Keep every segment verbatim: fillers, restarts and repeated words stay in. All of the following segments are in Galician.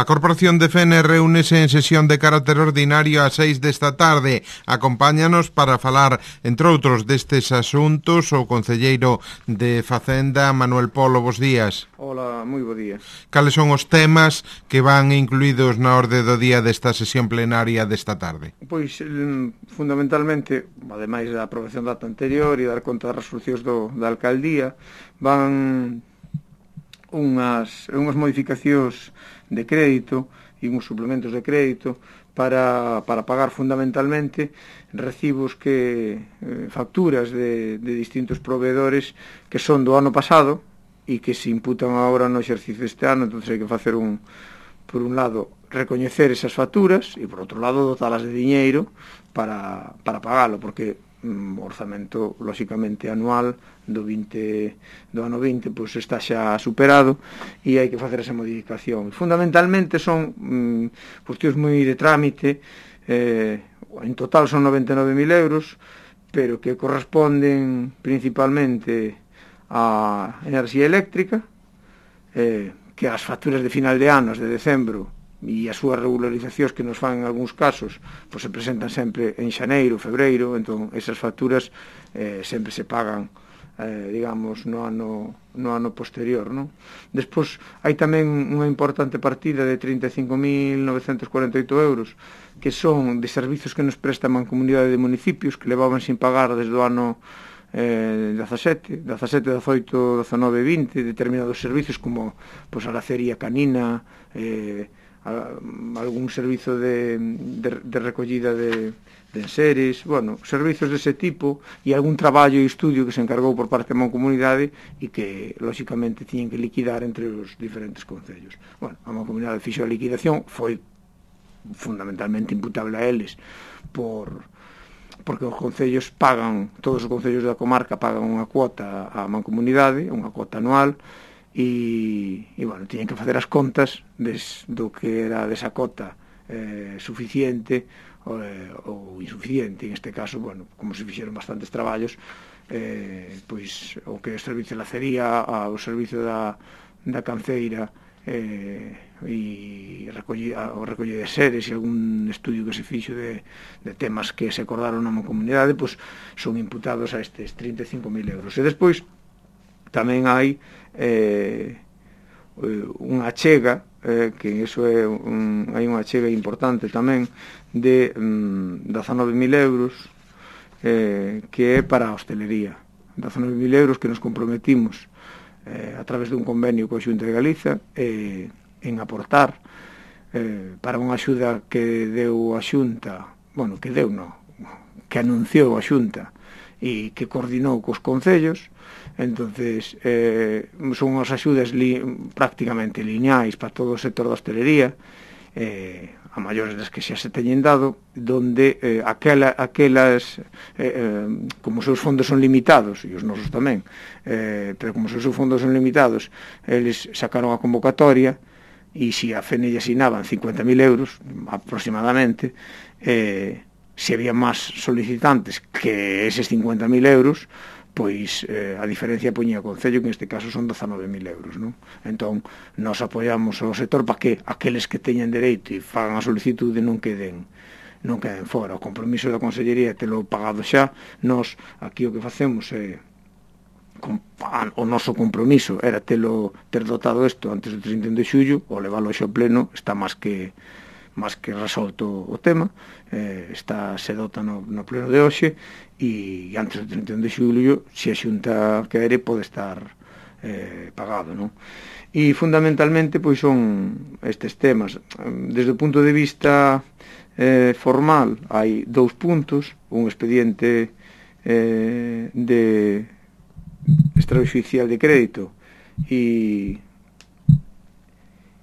A Corporación de Fene reúnese en sesión de carácter ordinario ás seis desta tarde. Acompáñanos para falar, entre outros, destes asuntos o concelleiro de Facenda, Manuel Polo. Bos días. Hola, moi bo día. Cales son os temas que van incluídos na orde do día desta sesión plenaria desta tarde? Pois, fundamentalmente, ademais da aprobación da ata anterior e dar conta das resolucións do, da alcaldía, van unhas, unhas modificacións de crédito e uns suplementos de crédito para, para pagar fundamentalmente recibos que eh, facturas de, de distintos proveedores que son do ano pasado e que se imputan agora no exercicio deste ano. Entón hai que facer un, por un lado, recoñecer esas facturas e por outro lado dotalas de diñeiro para, para pagalo, porque o orzamento, lóxicamente, anual do vinte do ano vinte pois está xa superado e hai que facer esa modificación. Fundamentalmente son mm, cuestións moi de trámite, eh, en total son noventa e nove mil euros, pero que corresponden principalmente á enerxía eléctrica, eh, que as facturas de final de anos, de decembro, e as súas regularizacións que nos fan en algúns casos pois se presentan sempre en xaneiro, febreiro. Entón esas facturas eh, sempre se pagan eh, digamos no ano, no ano posterior, non? Despois hai tamén unha importante partida de trinta e cinco mil novecentos cuarenta e oito euros que son de servizos que nos presta a Mancomunidade de Municipios, que levaban sin pagar desde o ano eh, dezasete, dezasete, dezaoito, dezanove, vinte, determinados servizos como pois, a lacería canina, eh, algún servizo de, de, de recollida de, de enseres, bueno, servizos dese tipo e algún traballo e estudio que se encargou por parte da Mancomunidade e que, lóxicamente, tiñen que liquidar entre os diferentes concellos. Bueno, a Mancomunidade fixo a liquidación, foi fundamentalmente imputable a eles por porque os concellos pagan, todos os concellos da comarca pagan unha cuota á Mancomunidade, unha cuota anual, e, e bueno, tiñen que facer as contas des, do que era desa cota eh, suficiente ou, eh, ou insuficiente. En este caso, bueno, como se fixeron bastantes traballos, eh, pois o que é o servicio de lacería, o servicio da, da canceira, eh, e recollida, o recolle de seres e algún estudio que se fixo de, de temas que se acordaron na comunidade, pois son imputados a estes trinta e cinco mil euros. E despois tamén hai eh, unha achega, eh, que iso é un, hai unha achega importante tamén de mm, dezanove mil euros, eh, que é para a hostelería. dezanove mil euros que nos comprometimos eh, a través dun convenio coa Xunta de Galiza eh, en aportar eh, para unha axuda que deu a Xunta, bueno, que deu non, que anunciou a Xunta e que coordinou cos concellos. Entonces eh, son as axudas li, prácticamente lineais para todo o sector da hostelería, eh, a maiores das que xa se teñen dado, donde eh, aquela, aquelas eh, eh, como os seus fondos son limitados, e os nosos tamén, eh, pero como os seus fondos son limitados, eles sacaron a convocatoria e se a Fene asinaban cincuenta mil euros aproximadamente, eh, se había máis solicitantes que eses cincuenta mil euros, pois eh, a diferencia poñía o Concello, que neste caso son dezanove mil euros, non? Entón, nós apoiamos o sector para que aqueles que teñen dereito e fagan a solicitude non queden non queden fora. O compromiso da Consellería é telo pagado xa. Nós, aquí o que facemos é o noso compromiso era telo ter dotado isto antes do trinta de xullo, o leválo ao pleno está máis que máis que resolto o tema, eh, está se dota no, no pleno de hoxe, e antes do trinta de xullo, se a Xunta quere, pode estar eh, pagado, non? E fundamentalmente pois son estes temas. Desde o punto de vista eh, formal hai dous puntos, un expediente eh, de extraoficial de crédito e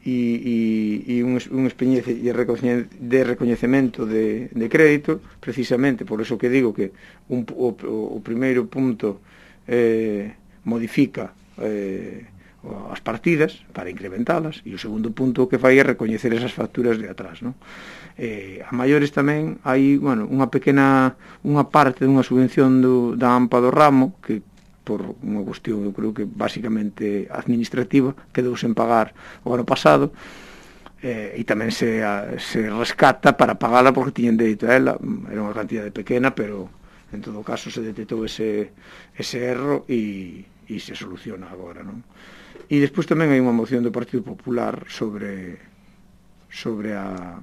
e, e, e un, un expediente de recoñecemento de, de crédito, precisamente por eso que digo que un, o, o primeiro punto eh, modifica eh, as partidas para incrementalas, e o segundo punto que fai é recoñecer esas facturas de atrás, non? Eh, a maiores tamén hai, bueno, unha pequena unha parte dunha subvención do, da AMPA do ramo que por unha cuestión, eu creo que basicamente administrativa, quedou sen pagar o ano pasado, eh, e tamén se, a, se rescata para pagala porque tiñen dereito a ela. Era unha cantidade pequena, pero en todo caso se detectou ese, ese erro e, e se soluciona agora, non? E despois tamén hai unha moción do Partido Popular sobre sobre a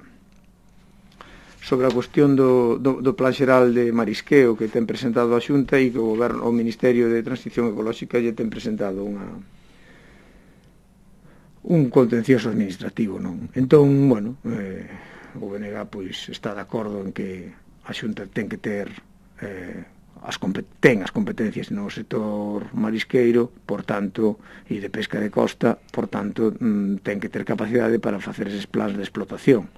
sobre a cuestión do, do, do Plan Xeral de Marisqueo que ten presentado a Xunta e que o, goberno, o Ministerio de Transición Ecolóxica lle ten presentado unha un contencioso administrativo, non? Entón, bueno, eh, o B N G pois está de acordo en que a Xunta ten que ter eh, as ten as competencias no sector marisqueiro, por tanto, e de pesca de costa, por tanto, mm, ten que ter capacidade para facer eses plans de explotación.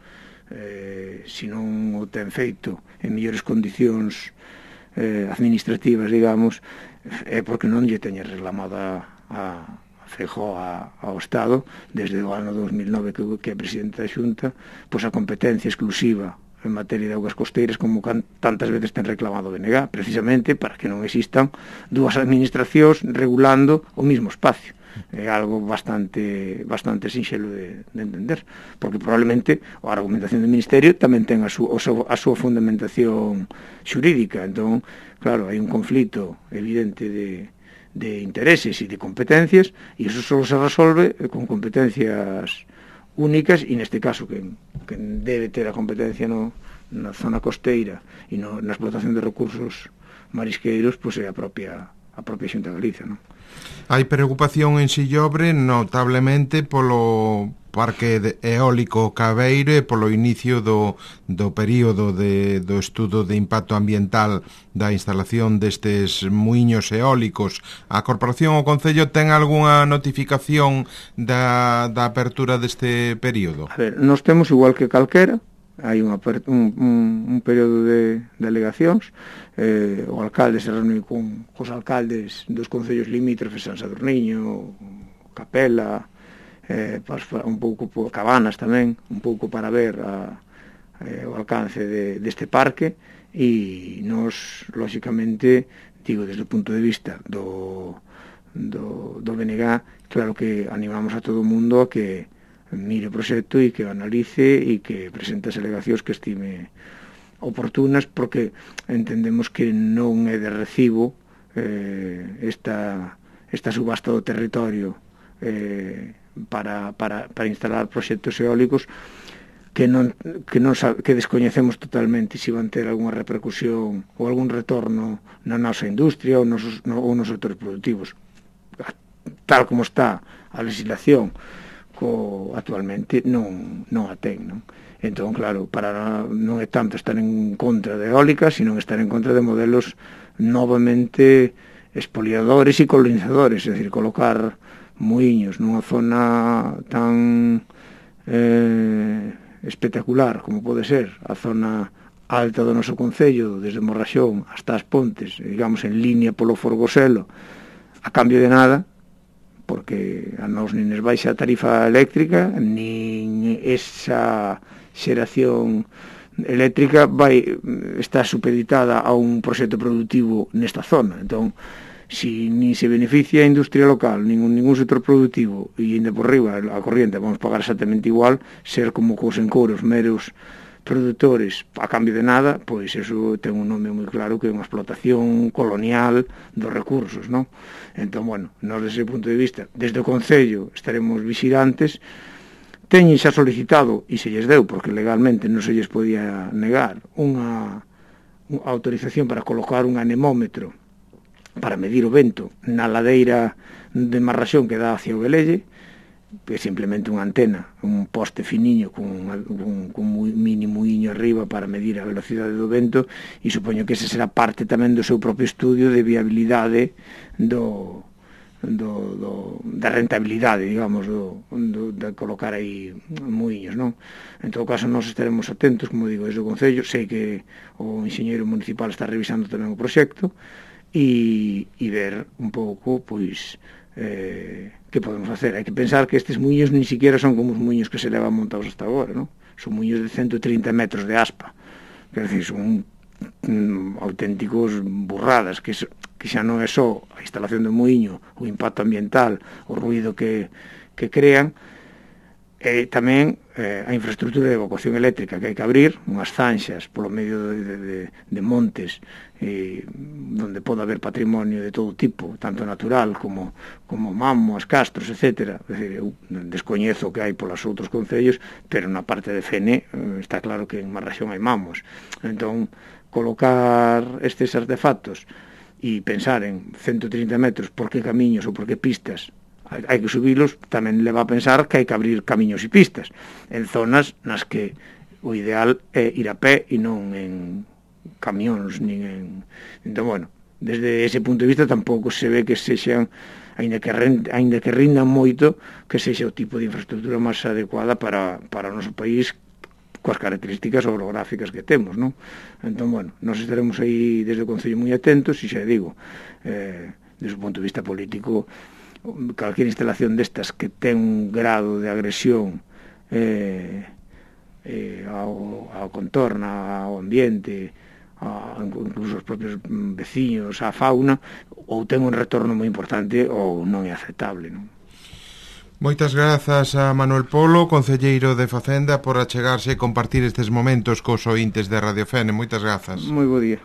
Eh, se non o ten feito en mellores condicións eh, administrativas, digamos, é porque non lle teña reclamada a, a Feijóo ao Estado desde o ano dos mil nove que, que é presidente da Xunta, pois a competencia exclusiva en materia de augas costeiras como can, tantas veces ten reclamado o B N G, precisamente para que non existan dúas administracións regulando o mismo espacio. É algo bastante bastante sinxelo de, de entender, porque probablemente a argumentación do Ministerio tamén ten a, su, a súa fundamentación xurídica. Entón, claro, hai un conflito evidente de, de intereses e de competencias, e iso só se resolve con competencias únicas, e neste caso que, que debe ter a competencia no, na zona costeira e no, na explotación de recursos marisqueiros, pois é a propia a propia Xunta de Galicia, non? Hai preocupación en Sillobre notablemente polo parque de eólico Cabeiro e polo inicio do, do período de, do estudo de impacto ambiental da instalación destes muiños eólicos. A Corporación ou Concello ten algunha notificación da, da apertura deste período? A ver, nós temos igual que calquera, hai un, un, un, un período de, de alegacións. Eh, o alcalde se reúne con os alcaldes dos concellos limítrofes, San Sadurniño, Capela, eh, un pouco por Cabanas tamén, un pouco para ver a, eh, o alcance de, deste parque, e nos, lóxicamente, digo, desde o punto de vista do, do, do B N G, claro que animamos a todo o mundo a que mire o proxecto e que o analice e que presente as alegacións que estime oportunas, porque entendemos que non é de recibo eh, esta, esta subasta do territorio eh, para, para, para instalar proxectos eólicos que non, que, non sabe, que descoñecemos totalmente se van ter algunha repercusión ou algún retorno na nosa industria ou nos, no, ou nos sectores productivos. Tal como está a legislación co, actualmente non, non a ten, non? Entón, claro, para non é tanto estar en contra de eólicas, sino estar en contra de modelos novamente expoliadores e colonizadores, é dicir, colocar muiños nunha zona tan eh, espectacular como pode ser a zona alta do noso concello, desde Morraxón hasta as Pontes, digamos en línea polo Forgoselo, a cambio de nada, porque a nos nin nos baixa a tarifa eléctrica, nin esa xeración eléctrica vai estar supeditada a un proxecto productivo nesta zona. Entón, si nin se beneficia a industria local, ningún, ningún sector productivo, e ainda por riba a corriente vamos pagar exactamente igual, ser como cos encouros meros produtores a cambio de nada, pois eso ten un nome moi claro que é unha explotación colonial dos recursos, non? Entón, bueno, nós desde ese punto de vista, desde o Concello estaremos vigilantes. Teñen xa solicitado, e se lles deu, porque legalmente non se lles podía negar, unha, unha autorización para colocar un anemómetro para medir o vento na ladeira de Marraxón que dá hacia o Velelle, que é simplemente unha antena, un poste finiño con un, con un mini muiño arriba para medir a velocidade do vento, e supoño que ese será parte tamén do seu propio estudio de viabilidade do, do, do da rentabilidade, digamos, do, do, de colocar aí muiños, non? En todo caso, nós estaremos atentos, como digo, desde o Concello. Sei que o enxeñeiro municipal está revisando tamén o proxecto e, e ver un pouco, pois, eh, que podemos facer. Hai que pensar que estes muiños ni siquiera son como os muiños que se levan montados hasta agora, non? Son muiños de ciento trinta metros de aspa, quer decir, son mm, auténticos burradas, que, que xa non é só a instalación do muiño, o impacto ambiental, o ruido que, que crean, E tamén eh, a infraestructura de evacuación eléctrica que hai que abrir, unhas zanxas polo medio de, de, de montes eh, onde pode haber patrimonio de todo tipo, tanto natural como, como mamos, castros, etcétera. É dicir, eu descoñezo que hai polos outros concellos, pero na parte de Fene eh, está claro que en Marraxón hai mamos. Entón, colocar estes artefactos e pensar en ciento trinta metros por que camiños ou por que pistas hai que subilos, tamén leva a pensar que hai que abrir camiños e pistas en zonas nas que o ideal é ir a pé e non en camións nin en... Entón, bueno, desde ese punto de vista tampouco se ve que sexan, aínda que, aínda que rindan moito, que sexa o tipo de infraestructura máis adecuada para, para o noso país coas características orográficas que temos, non? Entón, bueno, nós estaremos aí desde o Concello moi atentos e xa digo, eh, desde o punto de vista político, calquera instalación destas que ten un grado de agresión eh, eh, ao, ao contorno, ao ambiente, a, incluso aos propios veciños, á fauna, ou ten un retorno moi importante ou non é aceptable, non? Moitas grazas a Manuel Polo, concelleiro de Facenda, por achegarse e compartir estes momentos cos ointes de Radio Fene. Moitas grazas. Moi bo día.